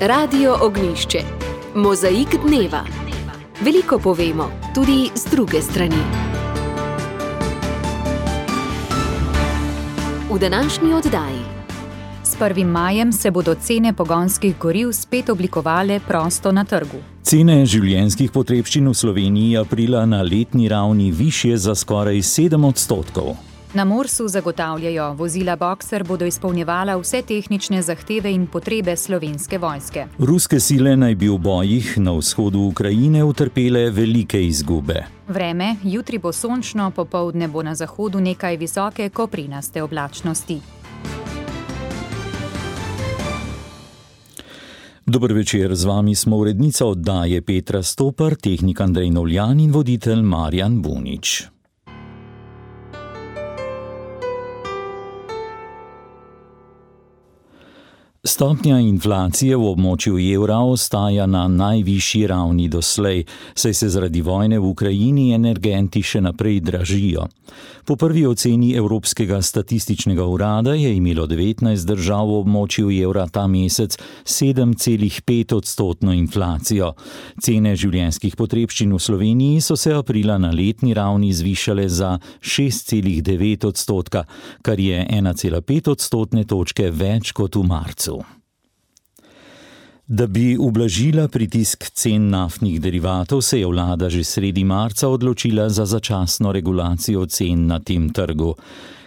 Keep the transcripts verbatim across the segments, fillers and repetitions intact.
Radio Ognjišče. Mozaik dneva. Veliko povemo, tudi z druge strani. V današnji oddaji. S prvim majem se bodo cene pogonskih goriv spet oblikovale prosto na trgu. Cene življenjskih potrebščin v Sloveniji aprila na letni ravni višje za skoraj sedem odstotkov. Na Morsu zagotavljajo, vozila Boxer bodo izpolnjevala vse tehnične zahteve in potrebe Slovenske vojske. Ruske sile naj bi v bojih na vzhodu Ukrajine utrpele velike izgube. Vreme, jutri bo sončno, popoldne bo na zahodu nekaj visoke koprinaste oblačnosti. Dober večer, z vami smo urednica oddaje Petra Stopar, tehnik Andrej Novljan in voditelj Marjan Bunič. Stopnja inflacije v območju evra ostaja na najvišji ravni doslej, saj se zaradi vojne v Ukrajini energenti še naprej dražijo. Po prvi oceni Evropskega statističnega urada je imelo devetnajst držav v območju evra ta mesec sedem celih pet odstotno inflacijo. Cene življenjskih potrebščin v Sloveniji so se aprila na letni ravni zvišale za šest celih devet odstotka, kar je ena cela pet odstotne točke več kot v marcu. Da bi ublažila pritisk cen naftnih derivatov, se je vlada že sredi marca odločila za začasno regulacijo cen na tem trgu.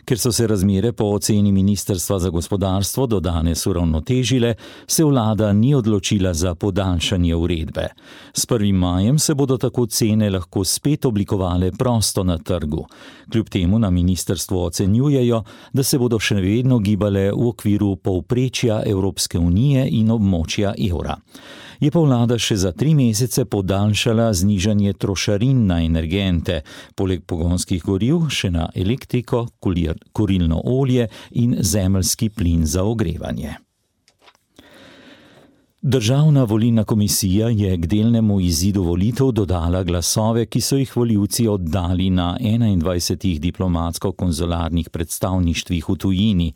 Ker so se razmere po oceni Ministrstva za gospodarstvo do danes uravnotežile, se vlada ni odločila za podaljšanje uredbe. S prvim majem se bodo tako cene lahko spet oblikovale prosto na trgu. Kljub temu na ministrstvu ocenjujejo, da se bodo še vedno gibale v okviru povprečja Evropske unije in območja evra. Je pa vlada še za tri mesece podaljšala znižanje trošarin na energente, poleg pogonskih goriv še na elektriko, kurilno olje in zemeljski plin za ogrevanje. Državna volilna komisija je k delnemu izidu volitev dodala glasove, ki so jih volivci oddali na enaindvajsetih diplomatsko-konzularnih predstavništvih v tujini.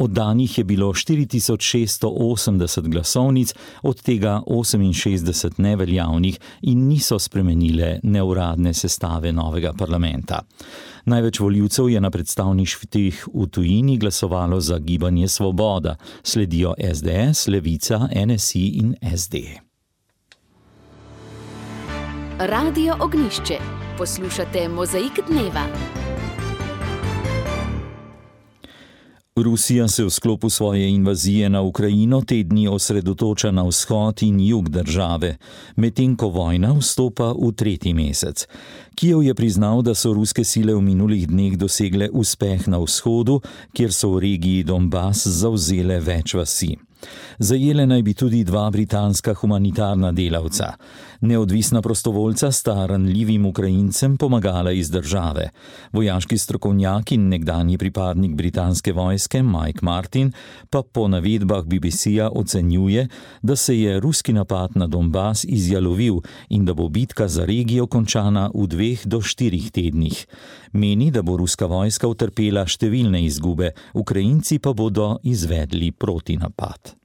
Oddanih je bilo štiri tisoč šeststo osemdeset glasovnic, od tega oseminšestdeset neveljavnih in niso spremenile neuradne sestave novega parlamenta. Največ volivcev je na predstavništvih v tujini glasovalo za Gibanje Svoboda, sledijo es de es, Levica, en es i in es de. Radio Ognjišče. Poslušate Mozaik dneva. Rusija se v sklopu svoje invazije na Ukrajino te dni osredotoča na vzhod in jug države, medtem ko vojna vstopa v tretji mesec. Kijev je priznal, da so ruske sile v minulih dneh dosegle uspeh na vzhodu, kjer so v regiji Donbas zavzele več vasi. Zajele naj bi tudi dva britanska humanitarna delavca. Neodvisna prostovoljca sta ranljivim Ukrajincem pomagala iz države. Vojaški strokovnjak in nekdanji pripadnik britanske vojske Mike Martin pa po navedbah be be ce-ja ocenjuje, da se je ruski napad na Donbas izjalovil in da bo bitka za regijo končana v dveh do štirih tednih. Meni, da bo ruska vojska utrpela številne izgube, Ukrajinci pa bodo izvedli protinapad.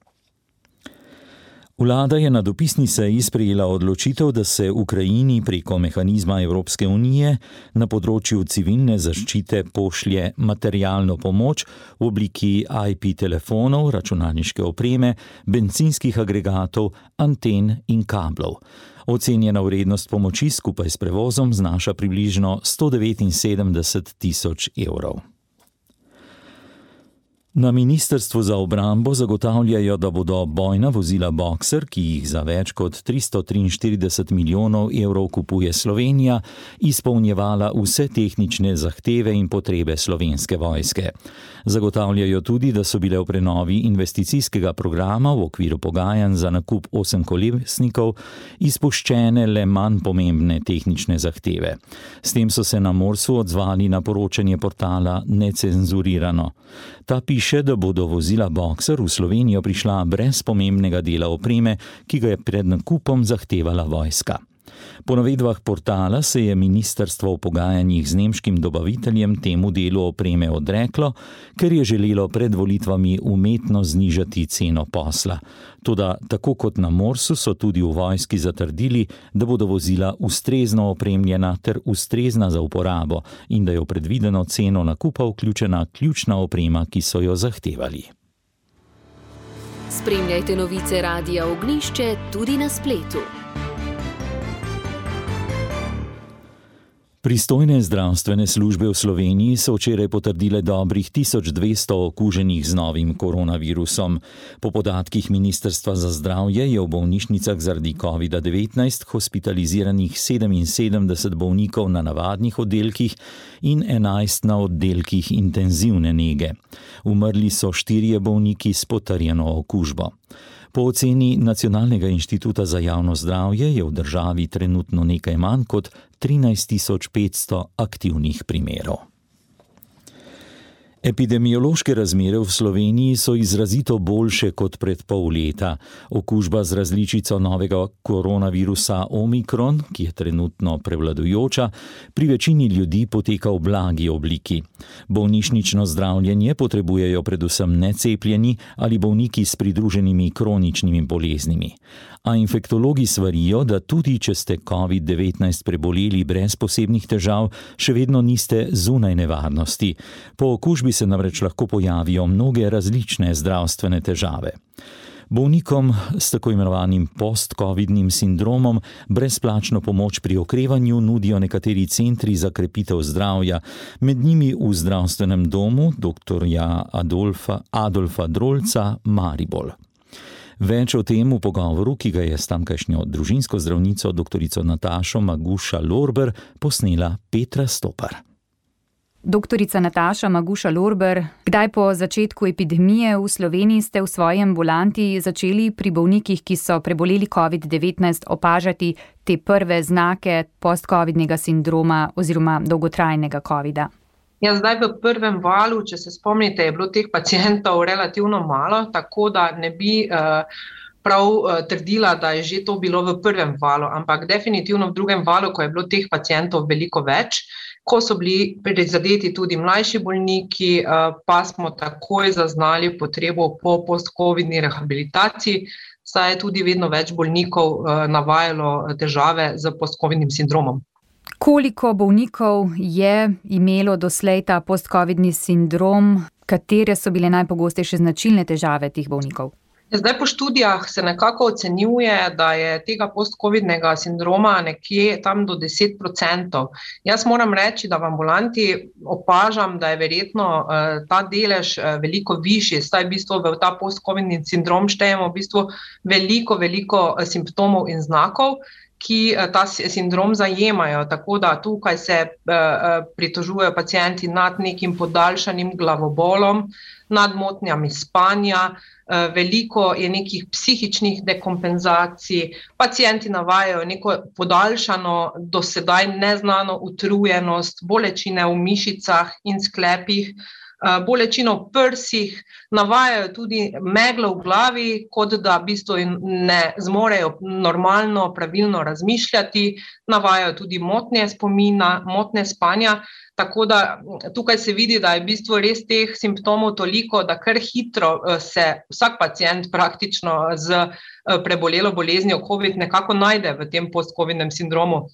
Vlada je na dopisni seji sprejela odločitev, da se Ukrajini preko mehanizma Evropske unije na področju civilne zaščite pošlje materialno pomoč v obliki i pe telefonov, računalniške opreme, bencinskih agregatov, anten in kablov. Ocenjena vrednost pomoči skupaj s prevozom znaša približno sto devetinsedemdeset tisoč evrov. Na Ministrstvu za obrambo zagotavljajo, da bodo bojna vozila Boxer, ki jih za več kot tristo triinštirideset milijonov evrov kupuje Slovenija, izpolnjevala vse tehnične zahteve in potrebe Slovenske vojske. Zagotavljajo tudi, da so bile v prenovi investicijskega programa v okviru pogajanj za nakup osemkolesnikov izpuščene le manj pomembne tehnične zahteve. S tem so se na Morsu odzvali na poročanje portala Necenzurirano. Ta piše, da bodo vozila Boxer v Slovenijo prišla brez pomembnega dela opreme, ki ga je pred nakupom zahtevala vojska. Po navedbah portala se je ministrstvo v pogajanjih z nemškim dobaviteljem temu delu opreme odreklo, ker je želelo pred volitvami umetno znižati ceno posla. Toda tako kot na Morsu so tudi v vojski zatrdili, da bodo vozila ustrezno opremljena ter ustrezna za uporabo in da je v predvideno ceno nakupa vključena ključna oprema, ki so jo zahtevali. Spremljajte novice Radia Ognjišče tudi na spletu. Pristojne zdravstvene službe v Sloveniji so včeraj potrdile dobrih tisoč dvesto okuženih z novim koronavirusom. Po podatkih Ministrstva za zdravje je v bolnišnicah zaradi kovida devetnajst hospitaliziranih sedeminsedemdeset bolnikov na navadnih oddelkih in enajst na oddelkih intenzivne nege. Umrli so štirje bolniki s potrjeno okužbo. Po oceni Nacionalnega inštituta za javno zdravje je v državi trenutno nekaj manj kot trinajst tisoč petsto aktivnih primerov. Epidemiološke razmere v Sloveniji so izrazito boljše kot pred pol leta. Okužba z različico novega koronavirusa Omikron, ki je trenutno prevladujoča, pri večini ljudi poteka v blagi obliki. Bolnišnično zdravljenje potrebujejo predvsem necepljeni ali bolniki s pridruženimi kroničnimi boleznimi. A infektologi svarijo, da tudi če ste covid devetnajst preboleli brez posebnih težav, še vedno niste zunaj nevarnosti. Po okužbi se namreč lahko pojavijo mnoge različne zdravstvene težave. Bolnikom s tako imenovanim post-covidnim sindromom brezplačno pomoč pri okrevanju nudijo nekateri centri za krepitev zdravja, med njimi v zdravstvenem domu doktorja Adolfa, Adolfa Drolca Maribor. Več o tem v pogovoru, ki ga je s tamkajšnjo družinsko zdravnico doktorico Natašo Maguša Lorber posnela Petra Stopar. Doktorica Nataša Maguša Lorber, kdaj po začetku epidemije v Sloveniji ste v svoji ambulanti začeli pri bolnikih, ki so preboleli covid devetnajst, opažati te prve znake post-covidnega sindroma oziroma dolgotrajnega covida? Ja, zdaj v prvem valu, če se spomnite, je bilo teh pacientov relativno malo, tako da ne bi uh, prav uh, trdila, da je že to bilo v prvem valu, ampak definitivno v drugem valu, ko je bilo teh pacientov veliko več, ko so bili prizadeti tudi mlajši bolniki, uh, pa smo takoj zaznali potrebo po post-covidni rehabilitaciji, saj je tudi vedno več bolnikov uh, navajalo težave z post-covidnim sindromom. Koliko bolnikov je imelo doslej ta post-covidni sindrom? Katere so bile najpogostejše značilne težave teh bolnikov? Zdaj po študijah se nekako ocenjuje, da je tega post-covidnega sindroma nekje tam do deset procentov. Jaz moram reči, da v ambulanti opažam, da je verjetno uh, ta delež uh, veliko višji, saj v bistvu v ta post-covidni sindrom štejemo v bistvu veliko, veliko uh, simptomov in znakov, ki ta sindrom zajemajo, tako da tukaj se uh, pritožujejo pacienti nad nekim podaljšanim glavobolom, nad motnjami spanja, uh, veliko je nekih psihičnih dekompenzacij, pacienti navajajo neko podaljšano, do sedaj neznano utrujenost, bolečine v mišicah in sklepih, bolečino v prsih, navajajo tudi meglo v glavi, kot da v bistvu ne zmorejo normalno, pravilno razmišljati, navajajo tudi motnje spomina, motnje spanja, tako da tukaj se vidi, da je v bistvu res teh simptomov toliko, da kar hitro se vsak pacient praktično z prebolelo boleznijo COVID nekako najde v tem post-covidnem sindromu.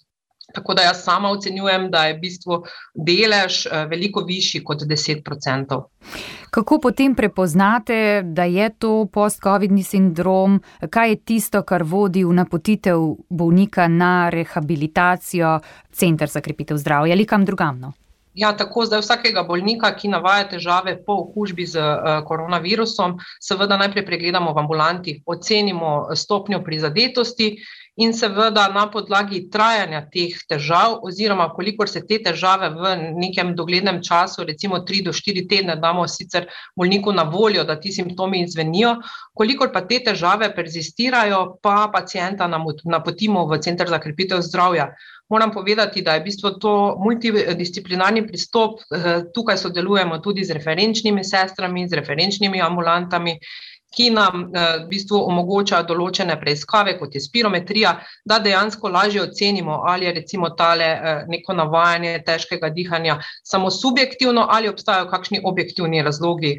Tako da jaz sama ocenjujem, da je v bistvu delež veliko višji kot deset procentov. Kako potem prepoznate, da je to post-covidni sindrom? Kaj je tisto, kar vodi v napotitev bolnika na rehabilitacijo, center za krepitev zdravja ali kam drugam? No? Ja, tako zdaj vsakega bolnika, ki navaja težave po okužbi z uh, koronavirusom, seveda najprej pregledamo v ambulanti, ocenimo stopnjo prizadetosti in seveda na podlagi trajanja teh težav oziroma kolikor se te težave v nekem doglednem času, recimo tri do štiri tedne, damo sicer bolniku na voljo, da ti simptomi izvenijo, kolikor pa te težave perzistirajo, pa pacienta napotimo v center za krepitev zdravja. Moram povedati, da je v bistvu to multidisciplinarni pristop, tukaj sodelujemo tudi z referenčnimi sestrami, z referenčnimi ambulantami ki nam v bistvu omogočajo določene preiskave, kot je spirometrija, da dejansko lažje ocenimo, ali je recimo tale neko navajanje težkega dihanja samo subjektivno ali obstajajo kakšni objektivni razlogi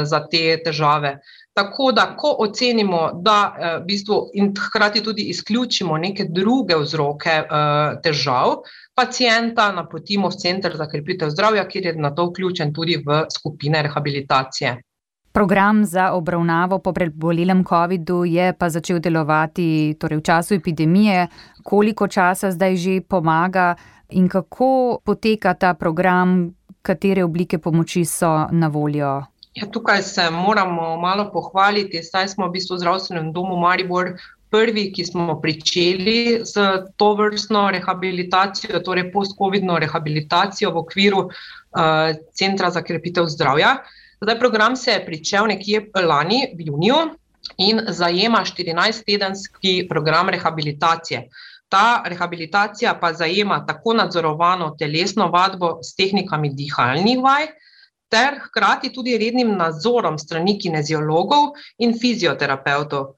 za te težave. Tako da, ko ocenimo, da v bistvu in hkrati tudi izključimo neke druge vzroke težav, pacienta napotimo v Center za krepitev zdravja, kjer je na to vključen tudi v skupine rehabilitacije. Program za obravnavo po prebolelem covidu je pa začel delovati torej v času epidemije. Koliko časa zdaj že pomaga in kako poteka ta program, katere oblike pomoči so na voljo? Ja, tukaj se moramo malo pohvaliti, saj smo v bistvu v Zdravstvenem domu Maribor prvi, ki smo pričeli s tovrstno rehabilitacijo, torej post-covidno rehabilitacijo v okviru uh, Centra za krepitev zdravja. Zdaj, program se je pričel nekje lani v juniju in zajema štirinajsttedenski program rehabilitacije. Ta rehabilitacija pa zajema tako nadzorovano telesno vadbo s tehnikami dihalnih vaj, ter hkrati tudi rednim nadzorom strani kineziologov in fizioterapevtov.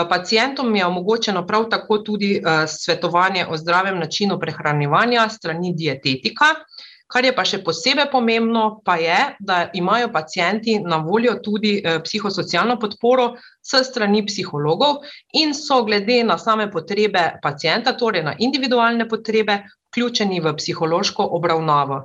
Pacientom je omogočeno prav tako tudi svetovanje o zdravem načinu prehranjevanja strani dietetika. Kar je pa še posebej pomembno, pa je, da imajo pacienti na voljo tudi psihosocialno podporo s strani psihologov in so glede na same potrebe pacienta, torej na individualne potrebe, vključeni v psihološko obravnavo.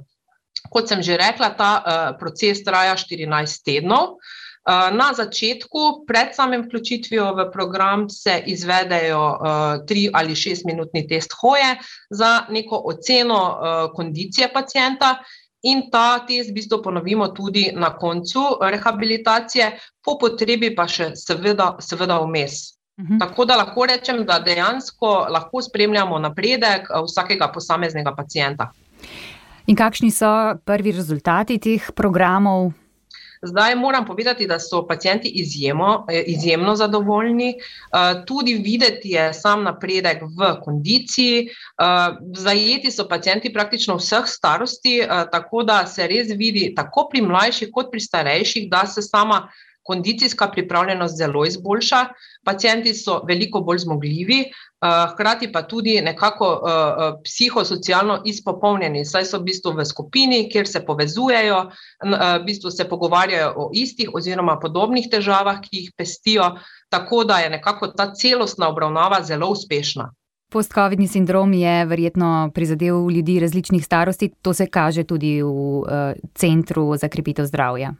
Kot sem že rekla, ta proces traja štirinajst tednov. Na začetku, pred samim vključitvijo v program, se izvedejo tri ali šest minutni test hoje za neko oceno kondicije pacienta in ta test v bistvu ponovimo tudi na koncu rehabilitacije, po potrebi pa še seveda, seveda vmes. Mhm. Tako da lahko rečem, da dejansko lahko spremljamo napredek vsakega posameznega pacienta. In kakšni so prvi rezultati teh programov? Zdaj moram povedati, da so pacienti izjemno, izjemno zadovoljni. Tudi videti je sam napredek v kondiciji. Zajeti so pacienti praktično vseh starosti, tako da se res vidi tako pri mlajših kot pri starejših, da se sama kondicijska pripravljenost zelo izboljša. Pacienti so veliko bolj zmogljivi, hkrati pa tudi nekako psihosocialno izpopolnjeni, saj so v bistvu v skupini, kjer se povezujejo, v bistvu se pogovarjajo o istih oziroma podobnih težavah, ki jih pestijo, tako da je nekako ta celostna obravnava zelo uspešna. Post-covidni sindrom je verjetno prizadel ljudi različnih starosti, to se kaže tudi v uh, Centru za krepitev zdravja.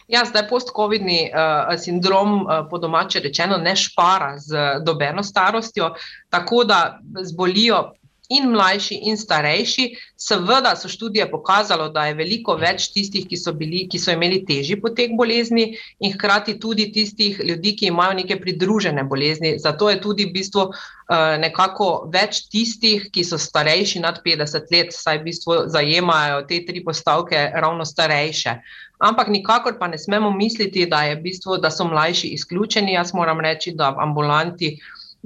Ja, zdaj post-covidni uh, sindrom uh, po domače rečeno ne špara z dobeno starostjo, tako da zbolijo in mlajši in starejši. Seveda so študije pokazalo, da je veliko več tistih, ki so bili, ki so imeli težji potek bolezni in hkrati tudi tistih ljudi, ki imajo neke pridružene bolezni. Zato je tudi v bistvu uh, nekako več tistih, ki so starejši nad petdeset let, saj v bistvu zajemajo te tri postavke ravno starejše. Ampak nikakor pa ne smemo misliti, da je v bistvu, da so mlajši izključeni. Jaz moram reči, da v ambulanti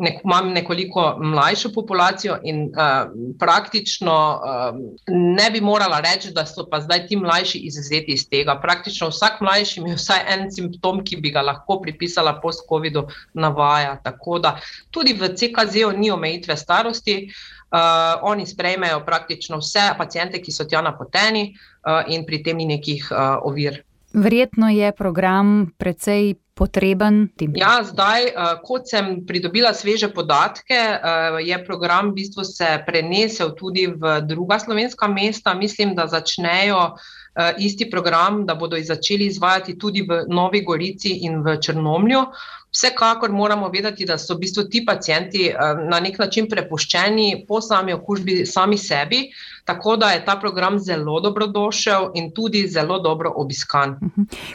nek, imam nekoliko mlajšo populacijo in uh, praktično uh, ne bi morala reči, da so pa zdaj ti mlajši izvzeti iz tega. Praktično vsak mlajši ima vsaj en simptom, ki bi ga lahko pripisala post-covidu, navaja. Tako da tudi v C K Z-u ni omejitve starosti. Uh, oni sprejmejo praktično vse paciente, ki so tja napoteni uh, in pri tem ni nekih uh, ovir. Verjetno je program precej potreben. Ja, zdaj, uh, kot sem pridobila sveže podatke, uh, je program v bistvu se prenesel tudi v druga slovenska mesta. Mislim, da začnejo uh, isti program, da bodo začeli izvajati tudi v Novi Gorici in v Črnomlju. Vsekakor moramo vedeti, da so v bistvu ti pacienti na nek način prepuščeni po sami okužbi sami sebi, tako da je ta program zelo dobrodošel in tudi zelo dobro obiskan.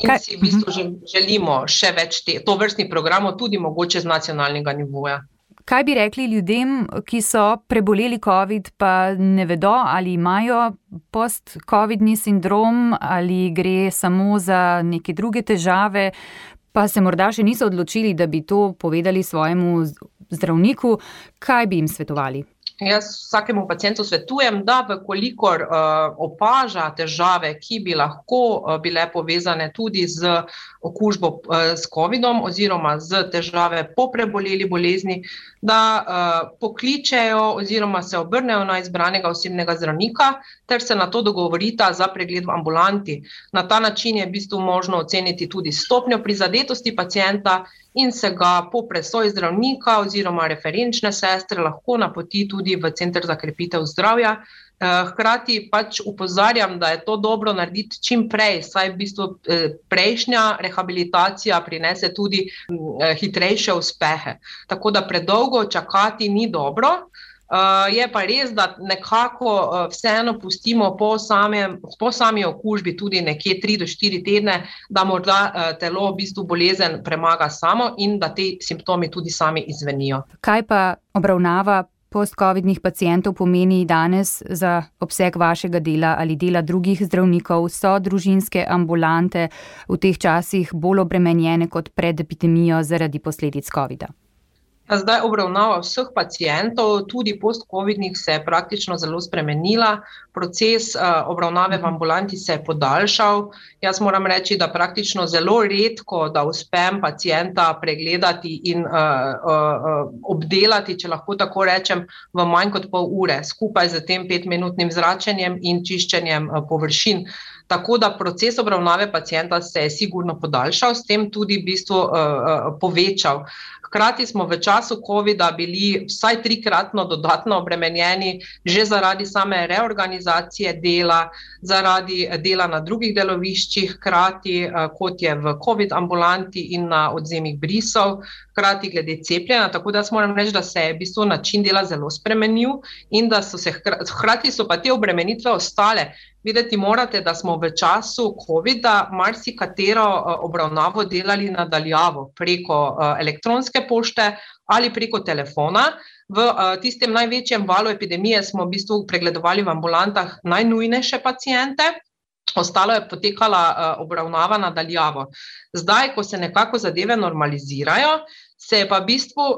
In si v bistvu želimo še več te, tovrstnih programov, tudi mogoče z nacionalnega nivoja. Kaj bi rekli ljudem, ki so preboleli COVID, pa ne vedo, ali imajo post-covidni sindrom, ali gre samo za neke druge težave, pa se morda še niso odločili, da bi to povedali svojemu zdravniku, kaj bi jim svetovali? Jaz vsakemu pacientu svetujem, da vkolikor uh, opaža težave, ki bi lahko uh, bile povezane tudi z okužbo uh, s covidom oziroma z težave po preboleli bolezni, da uh, pokličejo oziroma se obrnejo na izbranega osebnega zdravnika ter se na to dogovorita za pregled v ambulanti. Na ta način je v bistvu možno oceniti tudi stopnjo prizadetosti pacienta in se ga po presoji zdravnika oziroma referenčne sestre lahko napoti tudi v Center za krepitev zdravja. Hkrati pač upozarjam, da je to dobro narediti čim prej, saj v bistvu prejšnja rehabilitacija prinese tudi hitrejše uspehe. Tako da predolgo čakati ni dobro. Uh, je pa res, da nekako uh, vseeno pustimo po, samem, po sami okužbi tudi nekje tri do štiri tedne, da morda uh, telo v bistvu bolezen premaga samo in da te simptomi tudi sami izvenijo. Kaj pa obravnava post-covidnih pacientov pomeni danes za obseg vašega dela ali dela drugih zdravnikov? So družinske ambulante v teh časih bolj obremenjene kot pred epidemijo zaradi posledic covida? Zdaj obravnava vseh pacientov, tudi post-covidnih, se je praktično zelo spremenila. Proces uh, obravnave v ambulanti se je podaljšal. Jaz moram reči, da praktično zelo redko, da uspem pacienta pregledati in uh, uh, obdelati, če lahko tako rečem, v manj kot pol ure, skupaj z tem petminutnim zračenjem in čiščenjem uh, površin. Tako da proces obravnave pacienta se je sigurno podaljšal, s tem tudi v bistvu uh, uh, povečal. Hkrati smo v času covida bili vsaj trikratno dodatno obremenjeni že zaradi same reorganizacije dela, zaradi dela na drugih deloviščih, hkrati kot je v covid ambulanti in na odzemih brisov, hkrati glede cepljenja, tako da moram reči, da se je v bistvu način dela zelo spremenil in da so se hkrati so pa te obremenitve ostale. Videti morate, da smo v času covida marsikatero obravnavo delali nadaljavo preko elektronske pošte ali preko telefona. V tistem največjem valu epidemije smo v bistvu pregledovali v ambulantah najnujnejše paciente, ostalo je potekala obravnava nadaljavo. Zdaj, ko se nekako zadeve normalizirajo, se je pa v bistvu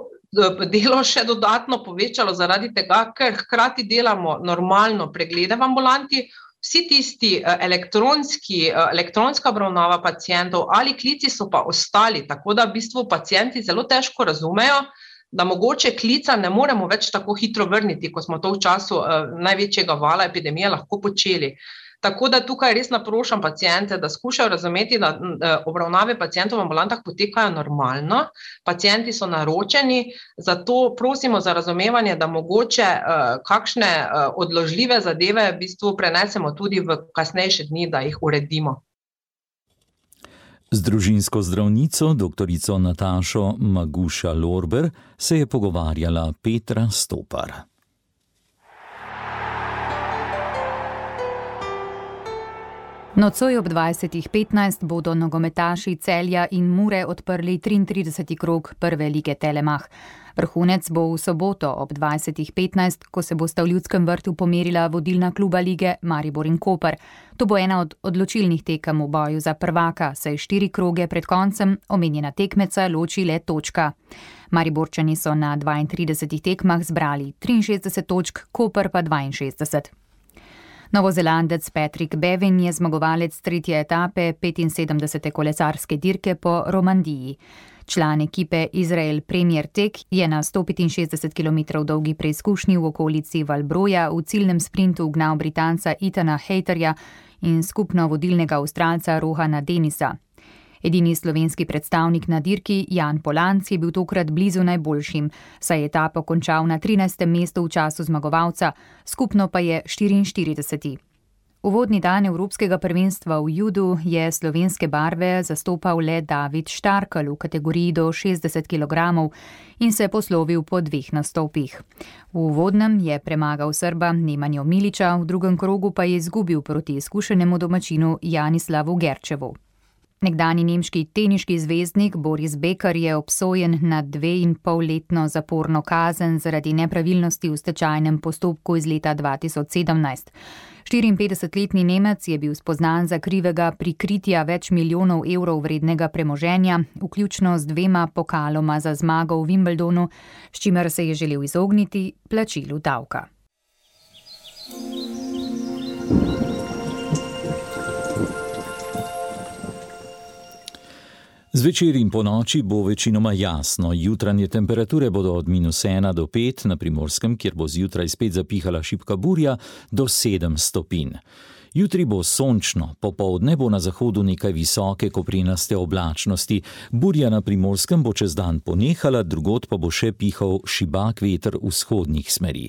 delo še dodatno povečalo zaradi tega, ker hkrati delamo normalno preglede v ambulanti. Vsi tisti elektronski, elektronska obravnava pacientov ali klici so pa ostali, tako da v bistvu pacienti zelo težko razumejo, da mogoče klica ne moremo več tako hitro vrniti, ko smo to v času največjega vala epidemije lahko počeli. Tako da tukaj res naprošam paciente, da skušajo razumeti, da obravnave pacientov v ambulantah potekajo normalno, pacienti so naročeni, zato prosimo za razumevanje, da mogoče uh, kakšne uh, odložljive zadeve v bistvu prenesemo tudi v kasnejše dni, da jih uredimo. Z družinsko zdravnico, doktorico Natašo Maguša-Lorber, se je pogovarjala Petra Stopar. Nocoj ob dvajsetih petnajst bodo nogometaši Celja in Mure odprli triintrideseti krog prve lige Telemach. Vrhunec bo v soboto ob dvajsetih petnajst, ko se bosta v Ljudskem vrtu pomerila vodilna kluba lige Maribor in Koper. To bo ena od odločilnih tekem v boju za prvaka, saj štiri kroge pred koncem omenjena tekmeca loči le točka. Mariborčani so na dvaintridesetih tekmah zbrali triinšestdeset točk, Koper pa dvainšestdeset. Novozelandec Patrick Bevin je zmagovalec tretje etape petinsedemdesete kolesarske dirke po Romandiji. Član ekipe Izrael Premier Tech je na sto petinšestdeset kilometrov dolgi preizkušnji v okolici Valbroja v ciljnem sprintu ugnal Britanca Ethana Hayterja in skupno vodilnega Avstralca Rohana Denisa. Edini slovenski predstavnik na dirki, Jan Polanc, je bil tokrat blizu najboljšim, saj je etapo končal na trinajstem mestu v času zmagovalca, skupno pa je štiriinštirideseti. Uvodni dan Evropskega prvenstva v judu je slovenske barve zastopal le David Štarkel v kategoriji do šestdeset kilogramov in se poslovil po dveh nastopih. V uvodnem je premagal Srba Nemanjo Miliča, v drugem krogu pa je izgubil proti izkušenemu domačinu Janislavu Gerčevu. Nekdanji nemški teniški zvezdnik Boris Becker je obsojen na dve in pol letno zaporno kazen zaradi nepravilnosti v stečajnem postopku iz leta dva tisoč sedemnajst. štiriinpetdesetletni Nemec je bil spoznan za krivega prikritja več milijonov evrov vrednega premoženja, vključno z dvema pokaloma za zmago v Wimbledonu, s čimer se je želel izogniti plačilu davka. Zvečer in po noči bo večinoma jasno. Jutranje temperature bodo od minus ena do pet, na Primorskem, kjer bo zjutraj spet zapihala šibka burja, do sedem stopinj. Jutri bo sončno, popoldne bo na zahodu nekaj visoke koprenaste oblačnosti. Burja na Primorskem bo čez dan ponehala, drugod pa bo še pihal šibak veter vzhodnih smeri.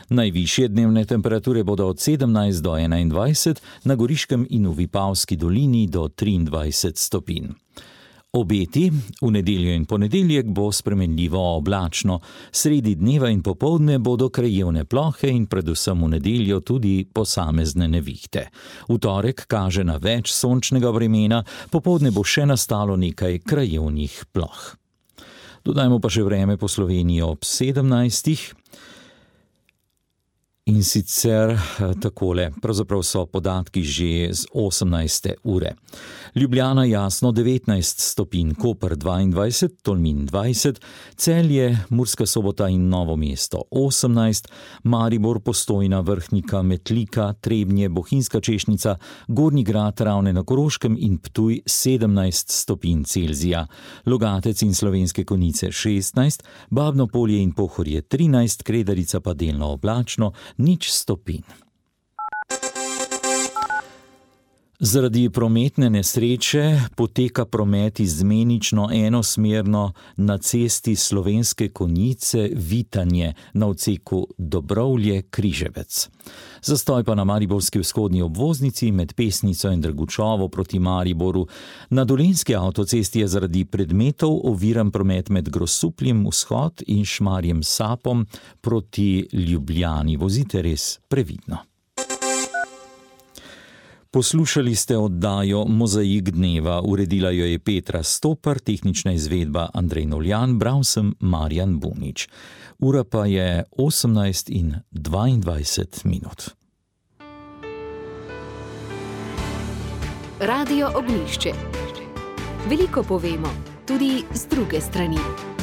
Najvišje dnevne temperature bodo od sedemnajst do enaindvajset, na Goriškem in v Vipavski dolini do triindvajset stopinj. Obeti, v nedeljo in ponedeljek bo spremenljivo oblačno, sredi dneva in popoldne bodo krajevne plohe in predvsem v nedeljo tudi posamezne nevihte. V torek kaže na več sončnega vremena, popoldne bo še nastalo nekaj krajevnih ploh. Dodajmo pa še vreme po Sloveniji ob sedemnajstih. In sicer takole, pravzaprav so podatki že z osemnajste ure. Ljubljana jasno devetnajst stopinj, Koper dvaindvajset, Tolmin dvajset, Celje, Murska Sobota in Novo mesto osemnajst, Maribor, Postojna, Vrhnika, Metlika, Trebnje, Bohinjska Češnica, Gornji Grad, Ravne na Koroškem in Ptuj sedemnajst stopinj Celzija, Logatec in Slovenske Konjice šestnajst, Babno Polje in Pohorje trinajst, Kredarica pa delno oblačno, nič stopinj. Zaradi prometne nesreče poteka promet izmenično enosmerno na cesti Slovenske Konjice Vitanje na odseku Dobrovlje-Križevec. Zastoj pa na mariborski vzhodni obvoznici med Pesnico in Drgučovo proti Mariboru. Na dolenjski avtocesti je zaradi predmetov oviran promet med Grosupljem vzhod in Šmarjem Sapom proti Ljubljani. Vozite res previdno. Poslušali ste oddajo Mozaik dneva, uredila jo je Petra Stopar, tehnična izvedba Andrej Noljan, bral sem Marjan Bunič. Ura pa je osemnajst in dvaindvajset minut. Radio Ognjišče. Veliko povemo, tudi z druge strani.